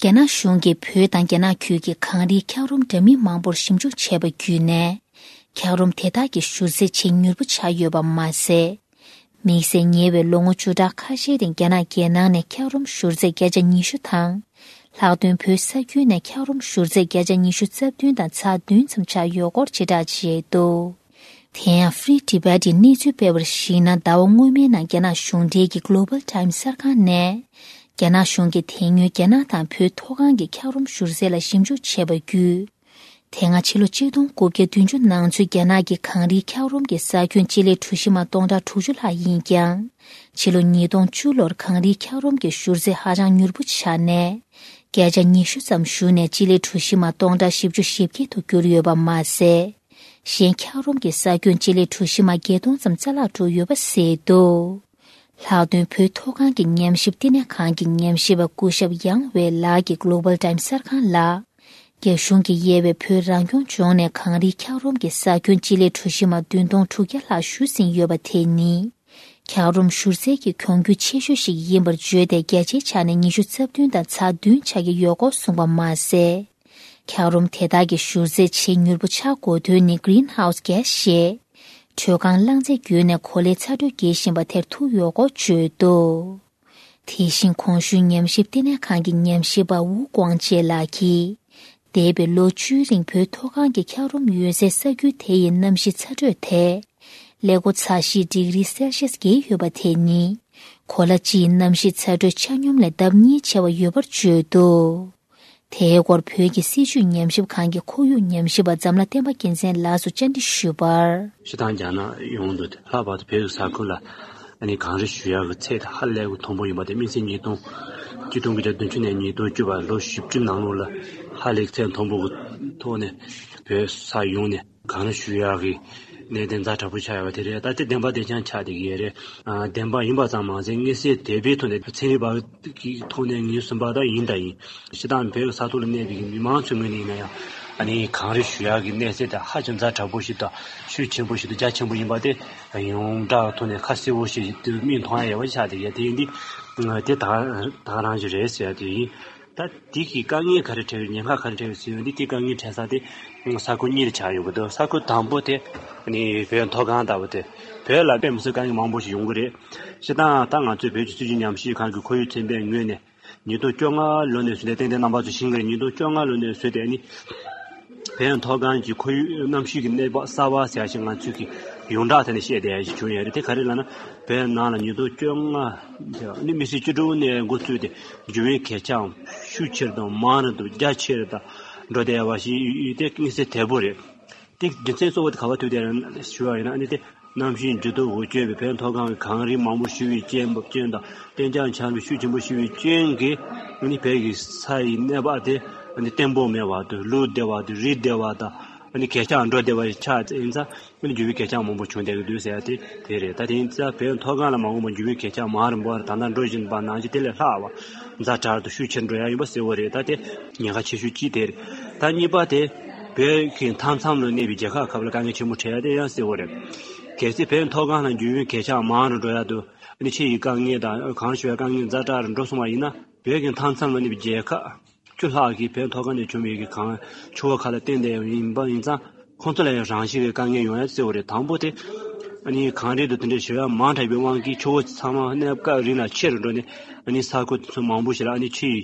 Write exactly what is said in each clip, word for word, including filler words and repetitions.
རྒྱ་ནག་གཞུང་གིས་བོད་དང་རྒྱ་ནག་ཁུལ་གྱི་གངས་རིའི་འཁྱགས་རོམ་འདྲ་མིན་མང་པོར་ཞིབ་འཇུག་བྱས་པ་བརྒྱུད་ནས། འཁྱགས་རོམ་དེ་དག་གི་བཞུར་རྫས་ཇེ་མྱུར་པོ་ཆགས་ཡོད་པ་མ་ཟད། དམིགས་བསལ་ཉེ་བའི་ལོ་ངོ་བཅུ་ཕྲག་ཁ་ཤས་རིང་རྒྱ་ནག་རྒྱལ་ནང་ནས་འཁྱགས་རོམ་བཞུར་རྫས་བརྒྱ་ཆ་ཉི་ཤུ་དང་། ལྷག་དོན་བོད་ས་ཁུལ་ནས་འཁྱགས་རོམ་བཞུར་རྫས་བརྒྱ་ཆ་ཉི་ཤུ་རྩ་བདུན་དང་ཚེག་བདུན་ཙམ་ཆགས་ཡོད་སྐོར་ཕྱིར་བསྒྲགས་བྱས་འདུག་དེ་ཡང་Free Tibet་ཡི་གནས་ཚུལ་སྤེལ་བར་གཞིགས་ན། ཟླ་བ་སྔོན་མའི་ནང་རྒྱ་ནག་གཞུང་འབྲེལ་གྱི་Global Times་གསར་ཁང་ནས། རྒྱ་ནག་གཞུང་གིས་དེ་སྔོན་རྒྱ་ནག་དང་བོད་མཐོ་སྒང་གི་འཁྱགས་རོམ་བཞུར་རྫས་ལ་ཞིབ་འཇུག་བྱས་པ་བརྒྱུད། དེ་སྔ་ཕྱི་ལོ་ཆིག་སྟོང་དགུ་བརྒྱ་བདུན་ཅུ་ནང་ཚུད་རྒྱ་ནག་གི་གངས་རིའི་འཁྱགས་རོམ་གྱི་ས་ཁྱོན་སྤྱི་ལེ་གྲུ་བཞི་མ་སྟོང་ཕྲག་དྲུག་ཅུ་ལྷག་ཡིན་ཀྱང་། ཕྱི་ལོ་ཉིས་སྟོང་བཅུ་ལོར་གངས་རིའི་འཁྱགས་རོམ་གྱི་བཞུར་རྫས་ཧ་ཅང་མྱུར་པོ་ཆགས་ནས། བརྒྱ་ཆ་ཉི་ཤུ་ཙམ་ཞུ་ནས་སྤྱི་ལེ་གྲུ་བཞི་མ་སྟོང་ཕྲག་བཞི་བཅུ་ཞེ་བརྒྱད་དུ་གྱུར་ཡོད་པ་མ་ཟད། གཞན་འཁྱགས་རོམ་གྱི་ས་ཁྱོན་སྤྱི་ལེ་གྲུ་བཞི་མ་བརྒྱད་སྟོང་ཙམ་རྩ་བརླག་འགྲོ་ཡོད་པ་གསལ་འདུག་ལྷག་དོན་བོད་མཐོ་སྒང་གི་ཉམས་ཞིབ་བསྟི་གནས་ཁང་གི་ཉམས་ཞིབ་པ་སྐུ་ཞབས་ཡང་ཝེ་ལགས་ཀྱིས་Global Times་གསར་ཁང་ལ། རྒྱ་གཞུང་གིས་དབྱེ་བའི་བོད་རང་སྐྱོང་ལྗོངས་ནས་གངས་རིའི་འཁྱགས་རོམ་གྱི་ས་ཁྱོན་སྤྱི་ལེ་གྲུ་བཞི་མ་བདུན་སྟོང་དྲུག་བརྒྱ་ལྷག་ཞུ་ཟིན་ཡོད་པ་དེ་ནི། འཁྱགས་རོམ་བཞུར་རྫས་ཀྱི་གྱོང་གུད་ཆེ་ཤོས་ཤིག་ཡིན་པར་བརྗོད་དེ། བརྒྱ་ཆའི་ཆ་ནས་ཉི་ཤུ་རྩ་བདུན་དང་ཚེག་བདུན་ཆགས་ཀྱི་ཡོད་སྐོར་གསུངས་པ་མ་ཟད། འཁྱགས་རོམ་དེ་དག་གི་བཞུར་རྫས་ཇེ་མྱུར་པོ་ཆགས་དགོས་དོན་ནི་Greenhouse Gas་ཞེས། དྲོད་ཁང་རླངས་རྫས་བརྒྱུད་ནས་གོ་ལའི་ཚ་དྲོད་སྐྱེད་བཞིན་པ་དེར་ཐུག་ཡོད་སྐོར་བརྗོད་འདུག་དེ་བཞིན་གོང་ཞུས་ཉམས་ཞིབ་བསྟི་གནས་ཁང་གི་ཉམས་ཞིབ་པ་ཝུ་ཀོང་ཅེ་ལགས་ཀྱིས། འདས་པའི་ལོ་བཅུའི་རིང་བོད་མཐོ་སྒང་གི་འཁྱགས་རོམ་ཡོད་སའི་ས་ཁུལ་དེ་ཡི་གནམ་གཤིས་ཚ་དྲོད་དེ། ཀླད་ཀོར་ཚ་བཞི་ཌིག་རི་སེལ་ཤིས་བརྒལ་ཡོད་པ་དེ་ནི། གོ་ལ་སྤྱིའི་གནམ་གཤིས་ཚ་དྲོད་ཆ་སྙོམས་ལས་ལྡབ་གཉིས་ཆེ་བ་ཡོད་པར་བརྗོད་འདུག་དེའི་སྐོར་བོད་ཀྱི་སྲིད་བྱུས་ཉམས་ཞིབ་ཁང་གི་ཁོར་ཡུག་ཉམས་ཞིབ་པ་འཛམ་ལྷ་བསྟན་པ་རྒྱལ་མཚན་ལགས་སུ་བཅར་འདྲི་ཞུས་པར། སྤྱིར་བཏང་རྒྱ་ནག་ཡོངས་སུ་ལྷག་པར་དུ་བོད་ཀྱི་ས་ཁུལ་ལ་ཨ་ནི་གངས་རི་བཞུར་ཡག་གི་ཚད་དེ་ཧ་ལས་པའི་མཐོན་པོ་ཡིན་པ་དེ་སྨིན་ཚིག་ཉིས་སྟོང་། ཆིག་སྟོང་དགུ་བརྒྱ་བདུན་ཅུ་ནས་ཉིས་སྟོང་བཅུ་བར་ལོ་བཞི་བཅུ་ནང་ལོགས་ལ་ཧ་ལས་ཚད་མཐོན་པོ་གི་ཐོག་ནས་བོད་ས་ཡོངས་ནས་གངས་རི་བཞུར་ཡག་གི་གནད་དོན་ཛ་དྲག་པོ་ཆགས་ཡོད་པ་དེ་རེད། ད་དེ་བདེན་པ་བདེན་རྐྱང་ཆགས་བསྡད་ཀྱི་ཡོད་རེད། ཨ་བདེན་པ་ཡིན་པ་ཙམ་མ་ཟད་དངོས་གསལ་དོད་པོའི་ཐོག་ནས་ཚན་རིག་པ་གི་ཐོག་ནས་ངོས་ཟིན་པ་དང་ཡིན་དང་ཡིན། སྤྱིར་བཏང་བོད་ཀྱི་ས་ཐོག་ལ་གནས་པའི་མི་མང་ཚོའི་ངོས་ནས་ཡིན་ན་ཡང་ཨ་ནི་གངས་རི་བཞུར་ཡག་གི་གནས་ཚད་དེ་ཧ་ཅང་ཛ་དྲག་པོ་ཞིག་དང་ཤུགས་ཆེན་པོ་ཞིག་དང་རྒྱ་ཆེན་པོ་ཡིན་པ་དེ་ཡོངས་གྲགས་ཐོག་ནས་ཁ་གསལ་པོ་ཞིག་དུ་མིག་མཐོང་ཡ་ཡོད་པ་ཆགས་བསྡད་ཡོད། དེ་ཡིན་དུས་དེ་ད་ད་ག་རང་ཞིག་རེད་ཟེར་ཡ་དེ་ཡིན། ད་དེ་གི་དཀའ་ངལ་ག་རེ་འཕྲད་ཡོད། ཉེན་ཁ་ག་རེ་འཕྲད་ཡོད་ཟེར་ཡོང་དུས་དེ་དཀའ་ངལ་འཕྲད་ས་དེ་ས་ཁུལ་གཉིས་ལ་ཆགས་ཡོད་པ་འདུག་ས་ཁུལ་དང་པོ་དེ་ནི་བོད་མཐོ་སྒང་ལྟ་བུ་དེ། བོད་ལ་དཔེ་མི་སྲིད་དཀའ་ངལ་མང་པོ་ཞིག་ཡོང་གི་རེད། སྤྱིར་བཏང་ད་ང་ཚོའི་བོད་ཀྱི་སྲིད་བྱུས་ཉམས་ཞིབ་ཁང་གི་ཁོར་ཡུག་ཚན་པའི་ངོས་ནས་ཉིས་སྟོང་བཅོ་ལྔ་ལོ་ནས་བཟུང་སྟེ། ཏན་ཏན་རྣམ་པ་ཚོ་ཤེས་ཀྱི་རེད། ཉིས་སྟོང་བཅོ་ལྔ་ལོ་ནས་བཟུང་སྟེ་ནི་བོད་མཐོ་སྒང་གི་ཁོར་ཡུག་གནམ་གཤིས་ཀྱི་གནས་བབ་གསར་པ་ཟེར་ཡ་ཞིག་ང་ཚོས་ཀྱི་ཡོངས་གྲགས་ཐད་ནས་བཤད་བསྡད་ཡ་ཞིག་བྱུང་ཡོད་རེད། དེ་ག་རེ་ལབ་ན། བོད་ནང་ལ་ཉིས་སྟོང་བཅོ་ལྔ་ནི་མི་སེར་བཅུ་དྲུག་ནས་འགོ་བཙུགས་ཏེ་འབྱུང་བའི་གད་ཆག་ཤུགས་ཆེ་རུ་དང་མང་རུ་དང་རྒྱ་ཆེ་རུ་དང་འགྲོ་བསྡད་པ་ཞིག་ཡོད་དེ་དངོས་གསལ་དོད་པོ་རེད། དེ་རྒྱུ་མཚན་གཙོ་བོ་དེ་ག་པར་ཐུག་བསྡད་རེད་ཞུ་བ་ཡིན་ན། ཨ་ནི་དེ་གནམ་གཤིས་འགྱུར་ལྡོག་འོག་སྐྱོད་པའི་བོད་མཐོ་སྒང་གི་གངས་རི་མང་པོ་བཞུར་བའི་རྐྱེན་པ་རྐྱེན་དང་གཏན་འཇགས་ཆར་པ་ཤུགས་ཆེན་པོ་བཞུར་བའི་རྐྱེན་གྱིས་ཨ་ནི་བོད་ཀྱི་ས་ཡི་གནས་བབ་དེ་ཨ་ནི་བརྟན་པོ་མེད་པ་དང་ལུད་བདེ་བ་དང་རི་བདེ་བ་དང་ཨ་ནི་གད་ཆག་འགྲོ་བདེ་བ་ཆགས་ཡིན་ཙང་། ཨ་ནི་འབྱུང་བའི་གད་ཆག་མང་པོ་བྱུང་བསྡད་ཀྱི་འདུག་ཟེར་ཡ་དེ་དེ་རེད། ད་དེ་ཡིན་ཙང་བོད་མཐོ་སྒང་ལ་མ་འོངས་པར་འབྱུང་བའི་གད་ཆག་མང་རུ་འབོར་ད་ལྟ་འགྲོ་བཞིན་པ་ནང་བཞིན་དེ་ལས་ལྷག་པ་ཛ་དྲག་ཏུ་ཤུགས་ཆེར་འགྲོ་ཡ་ཡིན་པ་གསལ་པོ་རེད། ད་དེ་ཉེན་ཁ་ཆེ་ཤོས་གཅིག་དེ་རེད། ད་གཉིས་པ་དེ་བོད་ཀྱི་མཐའ་མཚམས་ལ་གནས་པའི་རྒྱལ་ཁབ་ཁག་ལ་དཀའ་ངལ་ཆེན་པོ་འཕྲད་ཡ་དེ་ཡང་གསལ་པོ་རེད། གལ་སྲིད་བོད་མཐོ་སྒང་ལ་འབྱུང་བའི་གད་ཆག་མང་རུ་འགྲོ་ཡ་དང་ཨ་ནི་ཕྱི་ཡི་དཀའ་ངལ་དང་གང་ཞུ་བའི་དཀའ་ངལ་ཛ་དྲག་རུ་འགྲོ་སོང་བ་ཡིན་ན། བོད་ཀྱི་མཐའ་མཚམས་ལ་གནས་པའི་རྒྱལ་ཁབ་བཅུ་ལྷག་གིས་བོད་མཐོ་སྒང་ནས་བྱུང་བའི་གི་གངས་ཆུ་བོ་ཁག་ལ་བརྟེན་ཏེ་ཡིན་པ་ཡིན་ཙང་། ཁོང་ཚོ་ལ་ཡང་རང་བཞིན་གྱི་དཀའ་ངལ་ཡོང་ཡ་གསལ་པོ་རེད། དང་པོ་དེ་ཨ་ནི་གངས་རི་དང་དེ་འདྲའི་ཞེ་དྲག་མང་དྲགས་པའི་དབང་གིས་ཆུ་བོ་ཚང་མ་གནས་སྐབས་རིང་ལ་ཆེ་རུ་འགྲོ་ནས་ཨ་ནི་ས་ཁུལ་དེ་ཚོ་མང་པོ་ཞིག་ལ་ཨ་ནི་ཆུ་ཡི་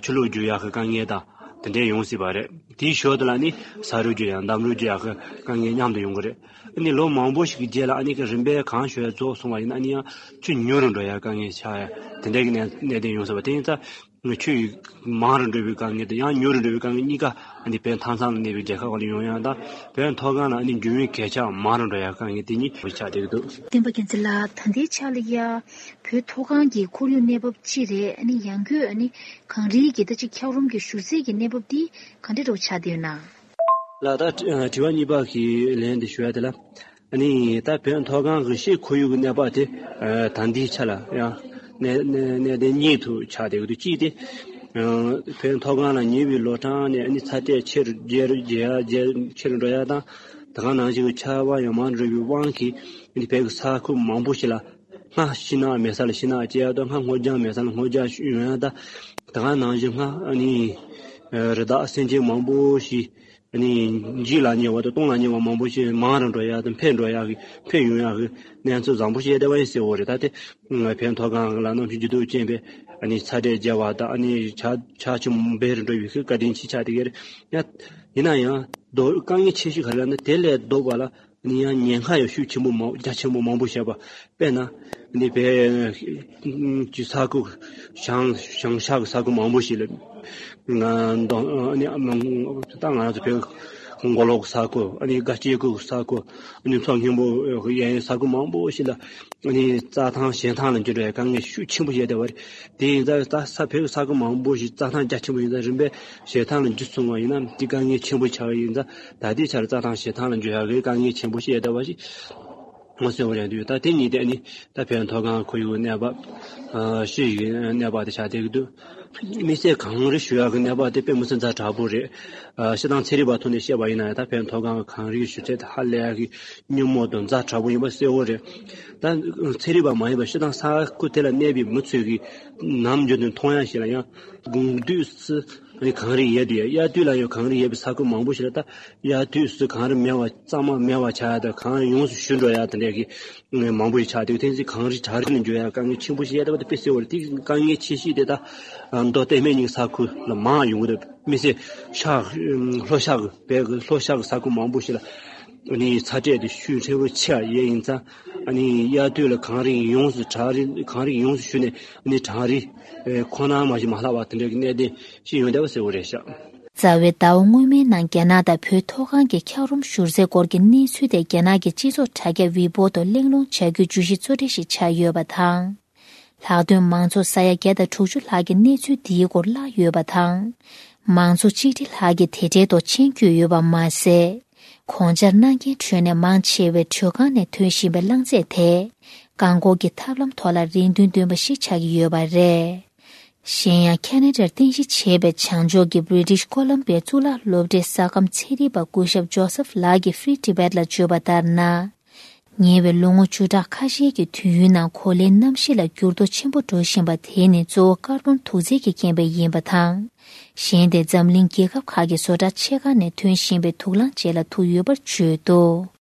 ཆུ་ལོག་རྒྱུག་ཡག་གི་དཀའ་ངལ་དང་དེ་འདྲའི་ཡོང་སྲིད་པ་རེད། དེའི་ཞོར་དུ་ལ་ཨ་ནི་ས་རུད་རྒྱུག་ཡག་འདམ་རུད་རྒྱུག་ཡག་གི་དཀའ་ངལ་མཉམ་དུ་ཡོང་གི་རེད། ཨ་ནི་ལོ་མང་པོ་ཞིག་གི་རྗེས་ལ་ཨ་ནི་གི་རིམ་པས་གངས་ཞུ་ཡ་རྫོགས་སོང་བ་ཡིན་ན་ཨ་ནི་ཡང་ཆུ་ཉུང་རུ་འགྲོ་ཡ་དཀའ་ངལ་ཆགས་ཡ་དེ་འདྲའི་གི་གནས་གནད་དོན་ཡོང་སྲིད་པ། དེ་ཡིན་ཙང་ཆུ་ཡི་མང་རུ་འགྲོ་བའི་དཀའ་ངལ་དང་ཡང་ཉུང་རུ་འགྲོ་བའི་དཀའ་ངལ་གཉིས་ཀ་ཨ་ནི་བོད་མཐའ་མཚམས་ལ་གནས་པའི་རྒྱལ་ཁབ་ཁག་ལ་ཡོང་ཡ་དང་བོད་མཐོ་སྒང་ལ་ཨ་ནི་འབྱུང་བའི་གད་ཆག་མང་རུ་འགྲོ་ཡ་དཀའ་ངལ་དེ་གཉིས་ཆགས་བསྡད་ཀྱི་འདུག་བསྟན་པ་རྒྱལ་མཚན་ལགས། ད་ལྟའི་ཆ་ལ་ཡ་བོད་མཐོ་སྒང་གི་ཁོར་ཡུག་གནས་བབ་ཅི་རེད། ཨ་ནི་ཡང་སྒོས་ཨ་ནི་གངས་རིའི་གི་ད་ཅིག་འཁྱགས་རོམ་གྱི་བཞུར་རྫས་ཀྱི་གནས་བབ་འདི་ག་འདྲ་འདྲ་བོ་ཆགས་བསྡད་ཡོད་ན། ལགས། ད་དྲི་དྲི་བ་གཉིས་པ་གི་ལན་འདི་ཞུ་ཡ་དེ་ལ། ཨ་ནི་ད་བོད་མཐོ་སྒང་གི་ཤེལ་ཁོར་ཡུག་གི་གནས་བབ་དེ་ད་ལྟའི་ཆ་ལ་ཡང་གནད་གནད་གནད་དོན་གཉིས་སུ་ཆགས་བསྡད་ཀྱི་འདུག་གཅིག་དེ་བོད་མཐོ་སྒང་ལ་ཉེ་བའི་ལོ་གྲངས་ནས་ཨ་ནི་ཚ་དྲོད་ཆེ་རུ་རྒྱས་རུ་རྒྱས་ཡ་རྒྱས་ཆེ་རུ་འགྲོ་ཡ་དང་། ད་ག་ནང་བཞིན་གྱི་ཆར་པ་ཡང་མང་རུ་འགྲོ་བའི་དབང་གིས་ཨ་ནི་བོད་ཀྱི་ས་ཁུལ་མང་པོ་ཞིག་ལ་སྔར་ཤིང་ནགས་མེད་ས་ལ་ཤིང་ནགས་སྐྱེ་ཡ་དང་སྔར་སྔོ་ལྗང་མེད་ས་ལ་སྔོ་ལྗང་ཡོང་ཡ་དང་། ད་ག་ནང་བཞིན་སྔ་ཨ་ནི་རི་དྭགས་སེམས་ཅན་མང་པོ་ཞིག་ཨ་ནི་འཇིག་ལ་ཉེ་བ་དང་སྟོང་ལ་ཉེ་བ་མང་པོ་ཞིག་མང་རུ་འགྲོ་ཡག་དང་འཕེལ་འགྲོ་ཡག་གི་འཕེལ་ཡོང་ཡག་གི་གནས་ཚུལ་བཟང་པོ་ཞིག་བསྡད་པ་ཡིན་ཟེར་བ་རེད། ད་དེ་བོད་མཐོ་སྒང་ལ་གནམ་གཤིས་འགྱུར་ལྡོག་ཅན་པའི་ཨ་ནི་ཚ་དྲོད་རྒྱས་པ་དང་ཨ་ནི་ཆར་ཆར་ཆུ་འབེལ་རུ་འགྲོ་བའི་བཀའ་དྲིན་ཆེ་ཆགས་དེ་ག་རེད། ཡང་ཡིན་ན་ཡང་དོ་དཀའ་ངལ་ཆེ་ཤོས་ག་རེ་ལབ་ན་དེ་ལས་ལྡོག་པ་ལ་ནི་ཡང་ཉེན་ཁ་ཡང་ཤུགས་ཆེན་པོ་མང་རྒྱ་ཆེན་པོ་མང་པོ་བཤད་པ། དཔེར་ན་ནི་བོད་ཀྱི་ས་ཁུལ་བྱང་བྱང་ཤར་གྱི་ས་ཁུལ་མང་པོ་ཞིག་ལ་ང་ད་ང་ཚོ་བོད་མགོ་ལོག་གི་ས་ཁུལ་ཨ་ནི་དགའ་སྐྱིད་ཁུལ་གྱི་ས་ཁུལ་ཨ་ནི་མཚོ་སྔོན་པོ་གཡས་གཡོན་ས་ཁུལ་མང་པོ་ཞིག་ལ་ཨ་ནི་རྩྭ་ཐང་བྱེ་ཐང་ལ་འགྱུར་བའི་དཀའ་ངལ་ཤུགས་ཆེན་པོ་བཤད་བསྡད་པ་རེད། དེ་ཡིན་ཙང་ད་ས་བོད་ཀྱི་ས་ཁུལ་མང་པོ་ཞིག་རྩྭ་ཐང་རྒྱ་ཆེན་པོ་ཡིན་ཙང་རིམ་པས་བྱེ་ཐང་ལ་འགྱུར་སོང་བ་ཡིན་ན་དེ་དཀའ་ངལ་ཆེན་པོ་ཆགས་ཡིན་ཙང་ད་ལྟའི་ཆར་རྩྭ་ཐང་བྱེ་ཐང་ལ་འགྱུར་ཡག་གི་དཀའ་ངལ་ཆེན་པོ་ཞིག་ཡོད་བསྡད་པ་ཞིག་ངོ་ཤེས་པ་རེད་འདུག་ད་དེ་གཉིས་དེ་ནི་ད་བོད་མཐོ་སྒང་ཁོར་ཡུག་གནས་བབ་ཨ་ཤི་ཡི་གནས་བབ་དེ་ཆགས་བསྡད་ཀྱི་འདུག་དམིགས་བསལ་གངས་རི་ཞུ་ཡག་གི་གནས་བབ་དེ་དཔེ་མི་སྲིད་ཛ་དྲག་པོ་རེད། ཨ་སྤྱིར་བཏང་ཚན་རིག་པ་ཐོག་ནས་བཤད་པ་ཡིན་ན་ད་བོད་མཐོ་སྒང་གི་གངས་རིའི་ཞུ་ཚད་དེ་ཧ་ལས་ཀྱི་སྙོན་མོ་དང་ཛ་དྲག་པོ་ཡིན་པ་གསལ་བོ་རེད། ད་ཚན་རིག་པ་མ་ཡིན་པ་སྤྱིར་བཏང་ས་ཁུལ་དེ་ལ་གནས་པའི་མི་ཚོས་ཀྱི་ནམ་རྒྱུན་དུ་མཐོང་ཡག་ཞིག་ལ་ཡང་དགུན་དུས་སུ་ཨ་ནི་གངས་རི་ཡལ་དུས་ཡང་དབྱར་དུས་ལ་ཡང་གངས་རི་ཡལ་བའི་ས་ཁུལ་མང་པོ་ཞིག་ལ་ད་དབྱར་དུས་སུ་གངས་རི་མེད་པ་གཙང་མ་མེད་པ་ཆགས་ཡག་དང་གངས་རི་ཡོངས་སུ་ཞུ་འགྲོ་ཡག་དེ་འདྲ་གི་མང་པོ་ཞིག་ཆགས་འདུག་དེ་ཚེ་གངས་རི་བྲག་རི་ལ་འགྱུར་ཡག་དཀའ་ངལ་ཆེན་པོ་ཞིག་ཡོད་བསྡད་པ་དེ་དཔེ་གསལ་བོ་རེད། དེ་དཀའ་ངལ་ཆེ་ཤོས་དེ་ད་མདོ་སྟོད་སྨད་གཉིས་ས་ཁུལ་ལ་མང་ཡོང་གི་རེད། དམིགས་བསལ་ཤར་ལྷོ་ཤར་གྱི་བོད་ཀྱི་ལྷོ་ཤར་གྱི་ས་ཁུལ་མང་པོ་ཞིག་ལ་ཨ་ནི་ཚ་དྲོད་དེ་ཤུགས་ཆེན་པོ་ཆེ་བ་ཡོད་ཡིན་ཙང་ཨ་ནི་དབྱར་དུས་ལ་གངས་རི་ཡོངས་སུ་བྲག་རི་གངས་རི་ཡོངས་སུ་ཞུ་ནས་ཨ་ནི་བྲག་རི་ཁོ་ན་མ་ཞིག་མ་ལྷག་པ་དེ་འདྲ་གི་གནད་དོན་ཞིག་ཡོང་བསྡད་པ་གསལ་བོ་རེད་ཤག་རྩ་བའི་ཟླ་བ་སྔོན་མའི་ནང་རྒྱ་ནག་དང་བོད་མཐོ་སྒང་གི་འཁྱགས་རོམ་བཞུར་རྩའི་སྐོར་གྱི་གནས་ཚུལ་དེ་རྒྱ་ནག་གི་སྤྱི་ཚོགས་དྲ་རྒྱ་ཝི་པོ་དུ་གླེང་སློང་བྱ་རྒྱུའི་བརྗོད་གཞི་གཙོ་གྲས་ཤིག་ཆགས་ཡོད་པ་དང་། ལྷག་དོན་མང་ཚོགས་ས་ཡ་བརྒྱ་དང་དྲུག་ཅུ་ལྷག་གིས་གནས་ཚུལ་འདིའི་སྐོར་བཀླགས་ཡོད་པ་དང་། མང་ཚོགས་གཅིག་ཁྲི་ལྷག་གིས་དེ་འབྲེལ་ཐོག་མཆན་བཀོད་ཡོད་པ་མ་ཟད། གོང་ཆར་གནང་མཁན་ཁྲོད་ནས་མང་ཆེ་བས་དྲོད་ཁང་ནས་ཐོན་བཞིན་པའི་རླངས་རྫས་དེ་རྐང་འཁོར་གྱི་ཐབས་ལམ་ཐོག་ལ་རེ་འདུན་འདོན་པ་ཞིག་ཆགས་ཀྱི་ཡོད་པ་རེད། གཞན་ཡང་ཁེ་ན་ཌར་རྟེན་གཞི་བྱས་པའི་བྱང་ཕྱོགས་ཀྱི་British Columbia་གཙུག་ལག་སློབ་གྲྭའི་ས་ཁམས་ཚན་རིག་པ་སྐུ་ཞབས་ཇོ་སེབ་ལགས་ཀྱིས་Free Tibet་ལ་བརྗོད་པ་ལྟར་ན། ཉེ་བའི་ལོ་ངོ་བཅུ་ཕྲག་ཁ་ཤས་ཀྱི་དུས་ཡུན་ནང་གོ་ལའི་གནམ་གཤིས་ལ་འགྱུར་ལྡོག་ཆེན་པོ་འགྲོ་བཞིན་པ་དེ་ནི་གཙོ་བོ་ཀར་བོན་དུག་རྫས་ཀྱི་རྐྱེན་པས་ཡིན་པ་དང་། གཞན་དེ་འཛམ་གླིང་རྒྱལ་ཁབ་ཁག་གི་བཟོ་གྲྭ་ཆེ་ཁག་ནས་ཐོན་བཞིན་པའི་དུག་རླངས་བཅས་ལ་ཐུག་ཡོད་པར་བརྗོད་འདུག